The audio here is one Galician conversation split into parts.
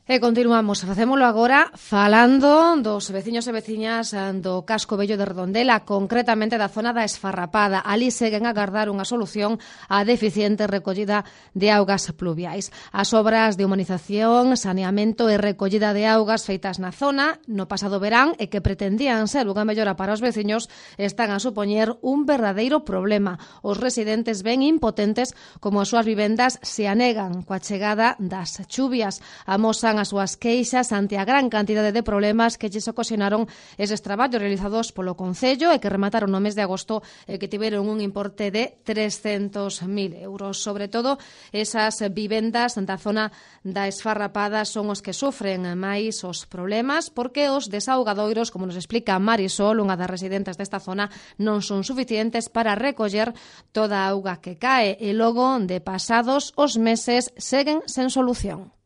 E continuamos, facémolo agora falando dos veciños e veciñas do casco vello de Redondela, concretamente da zona da Esfarrapada. Ali seguen a agardar unha solución á deficiente recollida de augas pluviais. As obras de humanización, saneamento e recollida de augas feitas na zona no pasado verán e que pretendían ser unha mellora para os veciños están a supoñer un verdadeiro problema. Os residentes ven impotentes como as súas vivendas se anegan coa chegada das chuvias. Amosan as súas queixas ante a gran cantidade de problemas que lles ocasionaron eses traballos realizados polo Concello e que remataron no mes de agosto e que tiveron un importe de 300.000 euros. Sobre todo, esas vivendas da zona da Esfarrapada son os que sufren máis os problemas porque os desaugadoiros, como nos explica Marisol, unha das residentes desta zona, non son suficientes para recoller toda a auga que cae e logo de pasados os meses seguen sen solución.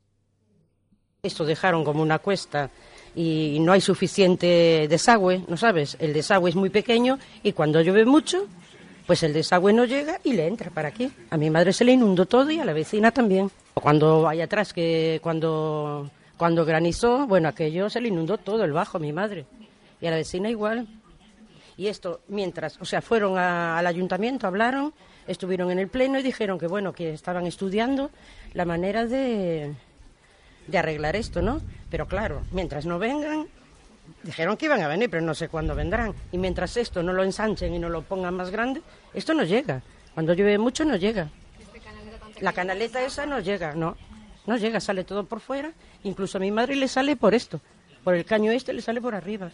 Esto dejaron como una cuesta y no hay suficiente desagüe, ¿no sabes? El desagüe es muy pequeño y cuando llueve mucho, pues el desagüe no llega y le entra para aquí. A mi madre se le inundó todo y a la vecina también. Cuando hay atrás, cuando granizó, bueno, aquello se le inundó todo el bajo a mi madre y a la vecina igual. Y esto, mientras, o sea, fueron al ayuntamiento, hablaron, estuvieron en el pleno y dijeron que, bueno, que estaban estudiando la manera de arreglar esto, ¿no? Pero claro, mientras no vengan, dijeron que iban a venir, pero no sé cuándo vendrán. Y mientras esto no lo ensanchen y no lo pongan más grande, esto no llega. Cuando llueve mucho no llega. La canaleta esa no llega, no llega, sale todo por fuera. Incluso a mi madre le sale por esto, por el caño este le sale por arriba.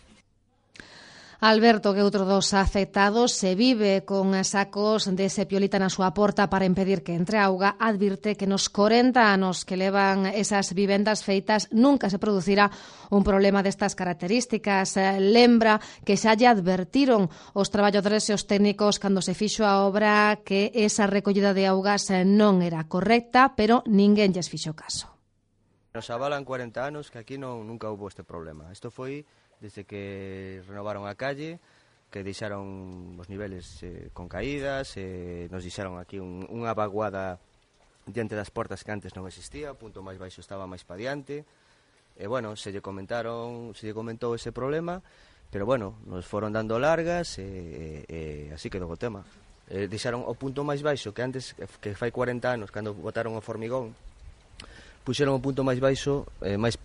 Alberto, que outro dos afectados, se vive con sacos de sepiolita na súa porta para impedir que entre auga, advirte que nos 40 anos que levan esas vivendas feitas nunca se producirá un problema destas características. Lembra que xa lle advertiron os traballadores e os técnicos cando se fixo a obra que esa recollida de augas non era correcta, pero ninguén lles fixo caso. Nos avalan 40 anos que aquí nunca hubo este problema. Isto foi desde que renovaron a calle, que deixaron os niveles con caídas, nos deixaron aquí unha vaguada diante das portas que antes non existía, o punto máis baixo estaba máis pa diante, e bueno, se lle comentou ese problema, pero bueno, nos foron dando largas e así quedou o tema. Deixaron o punto máis baixo que antes, que fai 40 anos, cando botaron o formigón, puxeron o punto máis baixo máis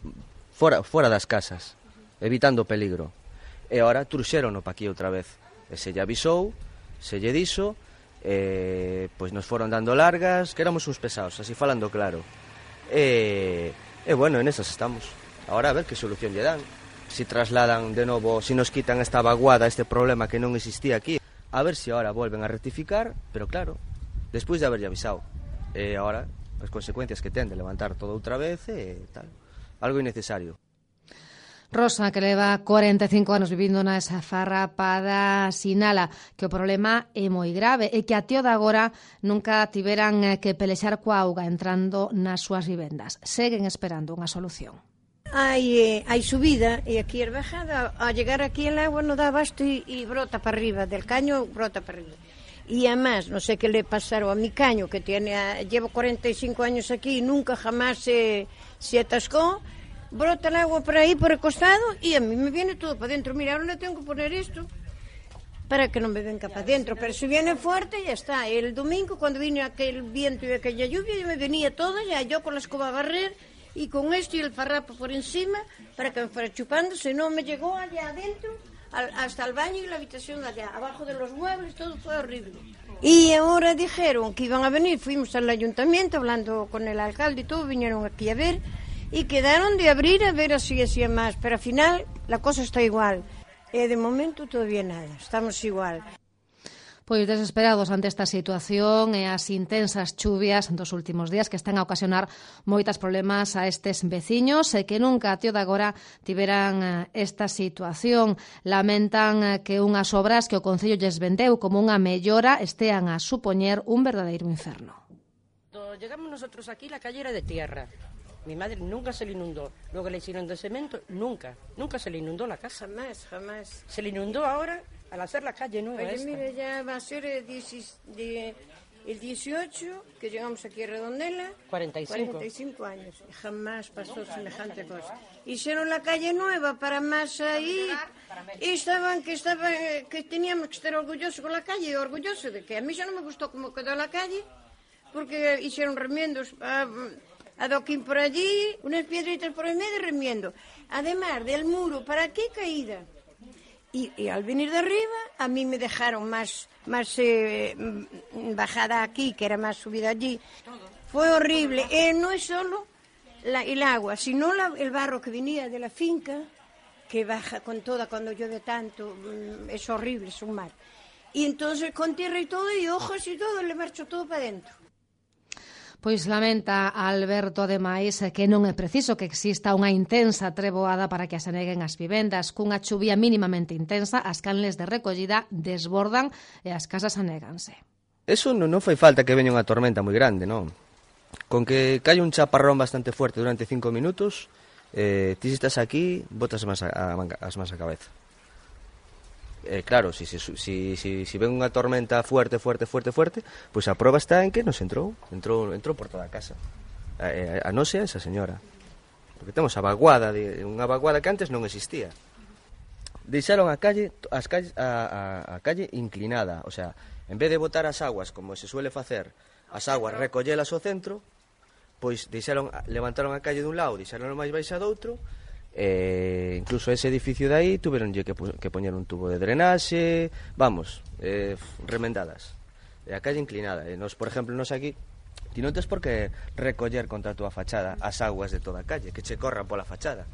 fora das casas, evitando o peligro. E agora truxérono pa aquí outra vez. E se lle avisou, se lle dixo, pois nos foron dando largas, que éramos uns pesados, así falando claro. E bueno, en esas estamos. Agora a ver que solución lle dan. Si trasladan de novo, si nos quitan esta vaguada, este problema que non existía aquí, a ver si agora volven a rectificar, pero claro, despois de haberlle avisado. E agora, as consecuencias que ten de levantar todo outra vez e tal. Algo innecesario. Rosa, que leva 45 anos vivindo na Esfarrapada, sinala que o problema é moi grave e que até o de agora nunca tiveran que pelexar coa auga entrando nas súas vivendas. Seguen esperando unha solución. Hai subida e aquí a bajada, a llegar aquí el agua non dá abasto e brota para arriba, del caño brota para arriba. Y además, no sé qué le pasaron a mi caño, que llevo 45 años aquí y nunca jamás se atascó. Brota el agua por ahí, por el costado, y a mí me viene todo para adentro. Mira, ahora le tengo que poner esto para que no me venga para adentro. Pero si viene fuerte, ya está. El domingo, cuando vino aquel viento y aquella lluvia, ya me venía todo, ya yo con la escoba a barrer, y con esto y el farrapo por encima, para que me fuera chupando. Si no, me llegó allá adentro, hasta el baño y la habitación allá, abajo de los muebles, todo fue horrible. Y ahora dijeron que iban a venir, fuimos al ayuntamiento, hablando con el alcalde y todo, vinieron aquí a ver, y quedaron de abrir a ver así hacía más, pero al final la cosa está igual. De momento todavía nada, estamos igual. Pois desesperados ante esta situación e as intensas chuvias dos últimos días que están a ocasionar moitas problemas a estes veciños e que nunca até o de agora tiveran esta situación. Lamentan que unhas obras que o Concello lles vendeu como unha mellora estean a supoñer un verdadeiro inferno. Cuando llegamos nosotros aquí, la calle era de tierra. Mi madre nunca se le inundó. Luego le hicieron de cemento, nunca se le inundó la casa. Jamás. Se le inundó ahora al hacer la calle nueva. Oye, mire, ya va a ser El 18, que llegamos aquí a Redondela, 45 años. Jamás pasó semejante cosa. Hicieron la calle nueva para más ahí. Y que teníamos que estar orgullosos con la calle, orgullosos de que a mí ya no me gustó cómo quedó la calle, porque hicieron remiendos adoquín por allí, unas piedritas por el medio de remiendo. Además del muro para aquí caída. Y al venir de arriba, a mí me dejaron más bajada aquí, que era más subida allí. Fue horrible. No es solo el agua, sino el barro que venía de la finca, que baja con toda cuando llueve tanto. Es horrible, es un mar. Y entonces con tierra y todo, y hojas y todo, le marchó todo para adentro. Pois lamenta Alberto, ademais, que non é preciso que exista unha intensa treboada para que aseneguen as vivendas. Cunha chuvia mínimamente intensa, as canles de recollida desbordan e as casas anéganse. Eso non fai falta que veña unha tormenta moi grande, non? Con que caia un chaparrón bastante fuerte durante 5 minutos, ti si estás aquí, botas as mans a cabeza. Claro, si ven unha tormenta fuerte, pois a proba está en que nos entrou por toda a casa. A non sea esa señora. Porque temos unha vaguada que antes non existía. Deixaron a calle inclinada, o sea, en vez de botar as aguas como se suele facer, as aguas recollelas ao centro, pois levantaron a calle dun lado, deixaron máis baixa do outro. Incluso ese edificio de aí tuveron que poñer un tubo de drenaxe, remendadas, a calle inclinada. Nos, por exemplo, aquí ti non tes por que recoller contra a túa fachada as aguas de toda a calle, que che corran pola fachada.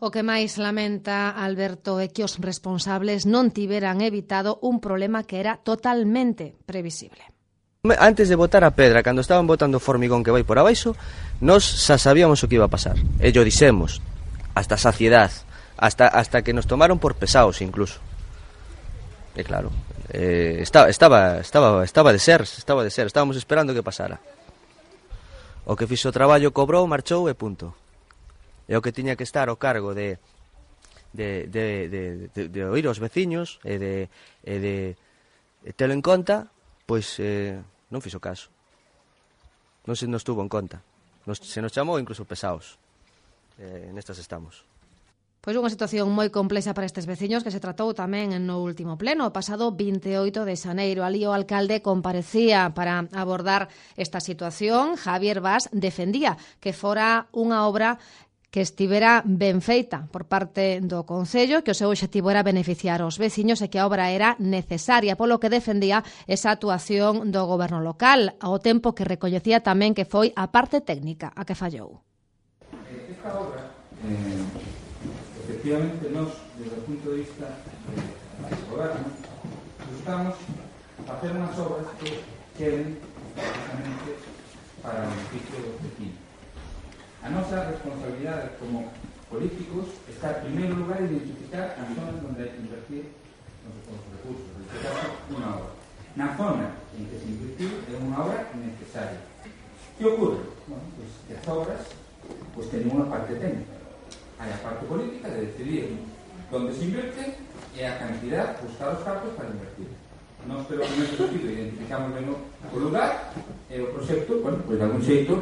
O que máis lamenta Alberto é que os responsables non tiveran evitado un problema que era totalmente previsible. Antes de botar a pedra, cando estaban botando o formigón que vai por abaixo, nós xa sabíamos o que iba a pasar. E yo dixemos, hasta saciedad, hasta que nos tomaron por pesados incluso. E claro, estaba de ser, estábamos esperando que pasara. O que fixo o traballo cobrou, marchou e punto. E o que tiña que estar ao cargo de oír aos veciños e de telo en conta, pois non fixo caso. Non se nos tuvo en conta. Se nos chamou incluso pesados. Nestas estamos. Pois unha situación moi complexa para estes veciños que se tratou tamén no último pleno, o pasado 28 de xaneiro. Ali o alcalde comparecía para abordar esta situación. Javier Bas defendía que fora unha obra que estivera ben feita por parte do Concello, que o seu obxectivo era beneficiar os veciños e que a obra era necesaria, polo que defendía esa actuación do goberno local, ao tempo que recoñecía tamén que foi a parte técnica a que fallou. Esta obra, efectivamente, nós, desde o punto de vista do goberno, buscamos facer unhas obras que queden precisamente para o beneficio dos vecinos. A nosa responsabilidade como políticos está, en primeiro lugar, identificar as zonas onde hai que invertir os recursos, identificar unha obra. Na zona en que se invertiu é unha obra necesaria. Que ocorre? Bueno, pues, que as obras teñen unha parte técnica. Hai a parte política de decidir onde se invierte e a cantidad, buscar os cartos para invertir. Nós, pero en ese sentido, identificamos ben o lugar e o proxecto, bueno, pois de algún xeito,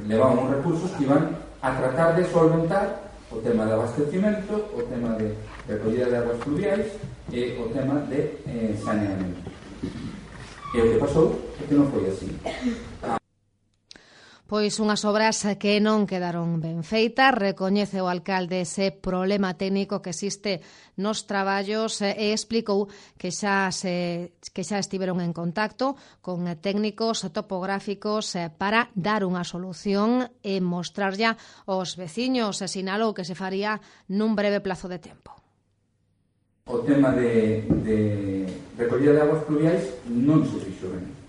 levamos uns recursos que iban a tratar de solventar o tema de abastecimento, o tema de recollida de aguas pluviais e o tema de saneamento. E o que pasou é que non foi así. Pois unhas obras que non quedaron ben feitas, recoñece o alcalde ese problema técnico que existe nos traballos e explicou que xa estiveron en contacto con técnicos topográficos para dar unha solución e mostrarlla aos veciños, e sinalou que se faría nun breve plazo de tempo. O tema de recollida de aguas pluviais non se fixo ben.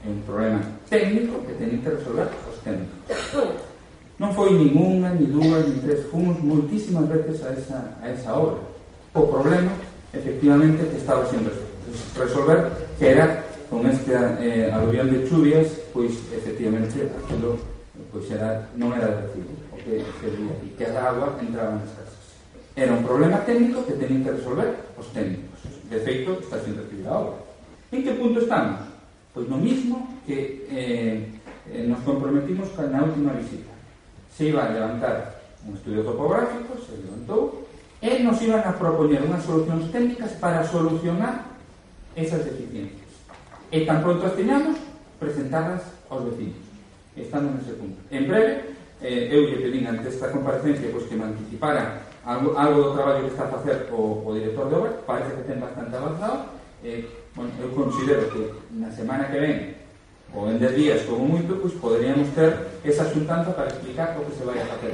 É un problema técnico que teñen que resolver os técnicos. Non foi nin unha, nin dúas, nin tres, fomos moitísimas veces a esa obra. O problema, efectivamente, que estaba sen resolver, que era con este aluvión de chuvias, pois, efectivamente, aquilo non era de recibo, o que servía, e que a agua entraba nas casas. Era un problema técnico que teñen que resolver os técnicos. De feito, está sen recibir a obra. En que punto estamos? Pois no mismo que nos comprometimos na última visita. Se iba a levantar un estudio topográfico, se levantou, e nos iban a propoñer unhas solucións técnicas para solucionar esas deficiencias. E tan pronto as teñamos, presentarlas aos vecinos. Estamos nese punto. En breve, eu lle pedín ante esta comparecencia pois, que me anticipara algo do traballo que está a facer o director de obra, parece que ten bastante avanzado. Bueno, eu considero que na semana que ven ou en 10 días como moito, pois poderíamos ter esa xuntanza para explicar o que se vai a facer.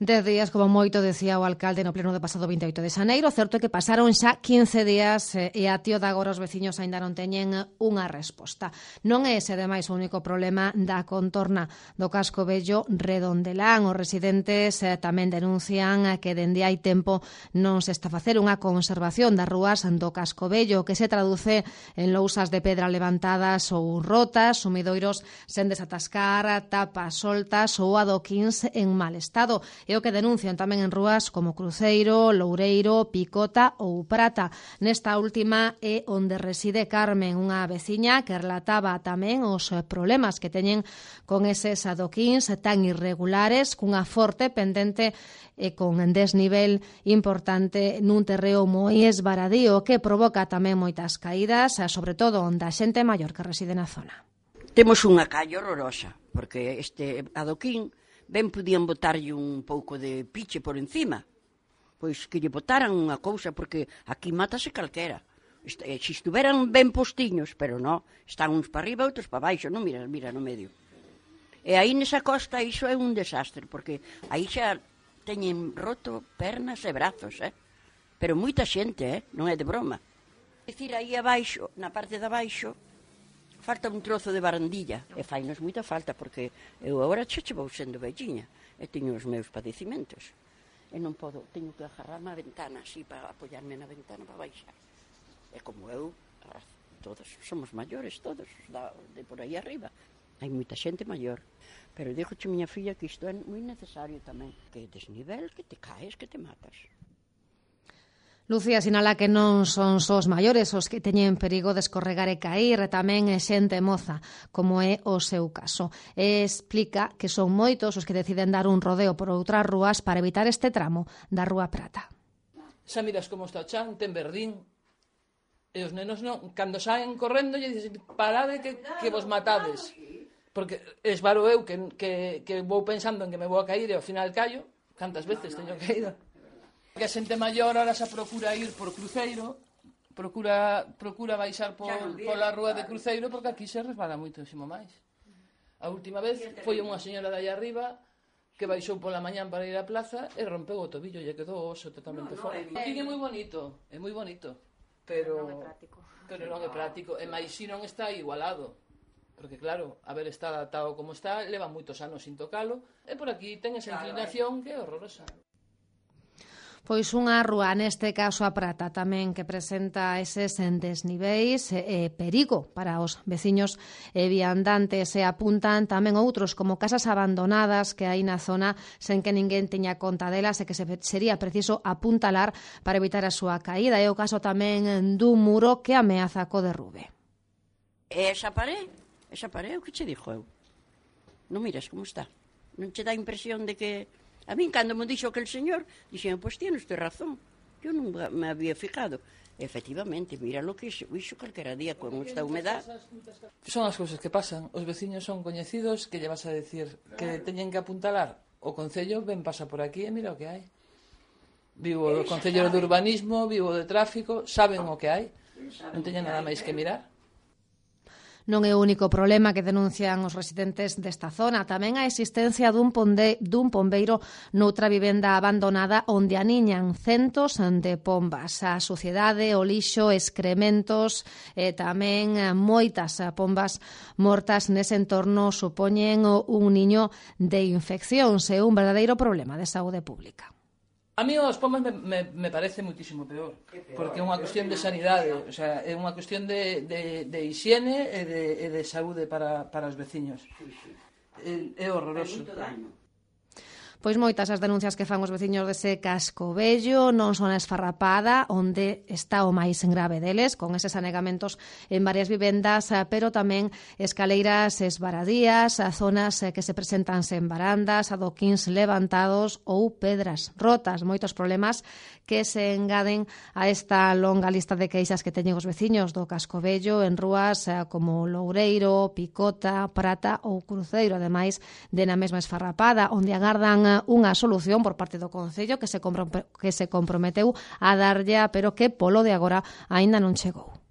10 días, como moito, decía o alcalde no pleno do pasado 28 de xaneiro. Certo é que pasaron xa 15 días e a tío de agora os veciños aínda non teñen unha resposta. Non é ese, ademais, o único problema da contorna do casco vello Redondelán. Os residentes tamén denuncian que dende hai tempo non se está a facer unha conservación das rúas do casco vello, que se traduce en lousas de pedra levantadas ou rotas, sumidoiros sen desatascar, tapas soltas ou adoquins en mal estado. É o que denuncian tamén en rúas como Cruceiro, Loureiro, Picota ou Prata. Nesta última é onde reside Carmen, unha veciña que relataba tamén os problemas que teñen con eses adoquins tan irregulares, cunha forte pendente e con desnivel importante nun terreo moi esvaradío que provoca tamén moitas caídas, sobre todo da xente maior que reside na zona. Temos unha calle horrorosa, porque este adoquín ben podían botarlle un pouco de piche por encima, pois que lle botaran unha cousa, porque aquí mátase calquera. Se estuveran ben postiños, pero non, están uns para arriba, outros para baixo, non mira no medio. E aí nesa costa iso é un desastre, porque aí xa teñen roto pernas e brazos, pero moita xente, non é de broma. É dicir, aí abaixo, na parte de abaixo, falta un trozo de barandilla, e fainos moita falta, porque eu agora xa vou sendo velliña, e teño os meus padecimentos. E non podo, teño que agarrarme a ventana, así, para apoiarme na ventana para baixar. E como eu, todos somos maiores, todos, de por aí arriba. Hai moita xente maior. Pero dixoche miña filla que isto é moi necesario tamén, que desnivel, que te caes, que te matas. Lucía sinala que non son só os maiores os que teñen perigo de escorregar e cair, tamén é xente moza, como é o seu caso. E explica que son moitos os que deciden dar un rodeo por outras rúas para evitar este tramo da Rúa Prata. Xa miras como está o chan, ten verdín, e os nenos non, cando saen correndo, lle dicen, parade que vos matades. Porque esvaro eu que vou pensando en que me vou a cair e ao final callo, cantas veces teño caído. Que a xente maior ahora xa procura ir por Cruceiro, procura baixar pola rúa de Cruceiro, porque aquí se resbala moitísimo máis. A última vez foi unha señora de aí arriba que baixou pola mañán para ir á plaza e rompeu o tobillo e quedou o oso totalmente fora. Aquí é moi bonito, pero non é práctico. E máis si non está igualado. Porque claro, haber estado adaptado como está, leva moitos anos sin tocalo, e por aquí ten esa inclinación que é horrorosa. Pois unha rúa, neste caso a Prata, tamén que presenta eses desniveis e perigo para os veciños e viandantes, e apuntan tamén outros como casas abandonadas que hai na zona sen que ninguén teña conta delas e que sería preciso apuntalar para evitar a súa caída. É o caso tamén dun muro que ameaza co derrube. Esa paré o que che dixo eu. Non miras como está. Non che dá impresión de que... A min, cando me dixo aquel señor, dixen, pois tienes usted razón. Eu non me había fijado. Efectivamente, mira lo que iso calquera día con esta humedad. Son as cousas que pasan. Os veciños son coñecidos, que lle vas a decir que teñen que apuntalar. O Concello ven pasa por aquí e mira o que hai. Vivo o Concello de Urbanismo, vivo de Tráfico, saben o que hai. Non teñen nada máis que mirar. Non é o único problema que denuncian os residentes desta zona, tamén a existencia dun pombeiro noutra vivenda abandonada onde aniñan centos de pombas. A suciedade, o lixo, excrementos e tamén moitas pombas mortas nese entorno supoñen un niño de infeccións e un verdadeiro problema de saúde pública. A mí os pombas me parece muitísimo peor, porque é unha cuestión de sanidade, o sea, é unha cuestión de higiene e de saúde para os veciños. É horroroso. Pois moitas as denuncias que fan os veciños dese Cascovello, non son a Esfarrapada, onde está o máis grave deles, con eses anegamentos en varias vivendas, pero tamén escaleiras esvaradías, zonas que se presentan sen barandas, adoquíns levantados ou pedras rotas. Moitos problemas que se engaden a esta longa lista de queixas que teñen os veciños do Cascovello en rúas como Loureiro, Picota, Prata ou Cruceiro, ademais de na mesma Esfarrapada, onde agardan unha solución por parte do Concello que se comprometeu a darlle, pero que polo de agora aínda non chegou.